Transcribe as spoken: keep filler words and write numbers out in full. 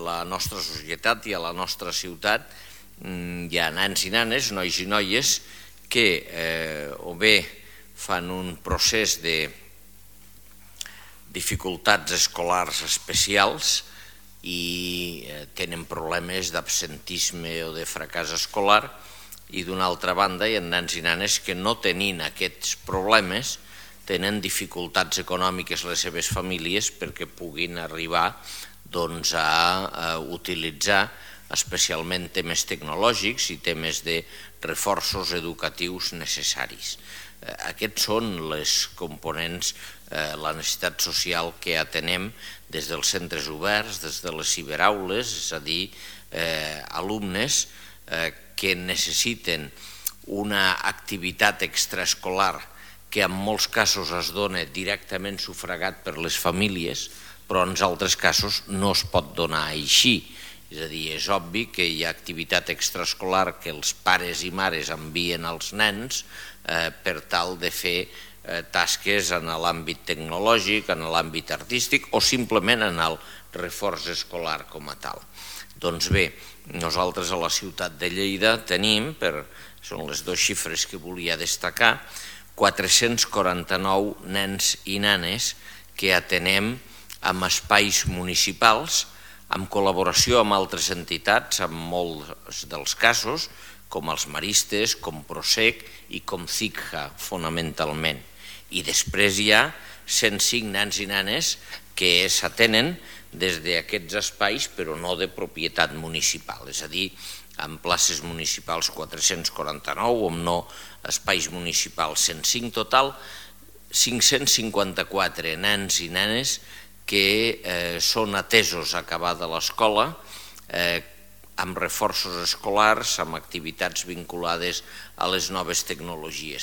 la nostra societat i a la nostra ciutat hi ha nens i nenes, nois i noies, que o bé fan un procés de dificultats escolars especials i tenen problemes d'absentisme o de fracàs escolar, i d'una altra banda hi ha nens i nenes que no tenint aquests problemes tenen dificultats econòmiques les seves famílies perquè puguin arribar a utilitzar especialment temes tecnològics i temes de reforços educatius necessaris. Aquests són les components, la necessitat social que atenem des dels centres oberts, des de les ciberaules, és a dir, alumnes que necessiten una activitat extraescolar que en molts casos es dona directament sufragat per les famílies, però en altres casos no es pot donar així. És a dir, és obvi que hi ha activitat extraescolar que els pares i mares envien als nens per tal de fer tasques en l'àmbit tecnològic, en l'àmbit artístic o simplement en el reforç escolar com a tal. Doncs bé, nosaltres a la ciutat de Lleida tenim, són les dues xifres que volia destacar, quatre-cents quaranta-nou nens i nenes que atenem en espais municipals, en col·laboració amb altres entitats, en molts dels casos, com els Maristes, com Prosec i com CICJA, fonamentalment. I després hi ha cent cinc nens i nenes que s'atenen des d'aquests espais, però no de propietat municipal, és a dir, en places municipals quatre-cents quaranta-nou, o no espais municipals cent cinc, total cinc-cents cinquanta-quatre nens i nenes que són atesos a acabada l'escola amb reforços escolars, amb activitats vinculades a les noves tecnologies.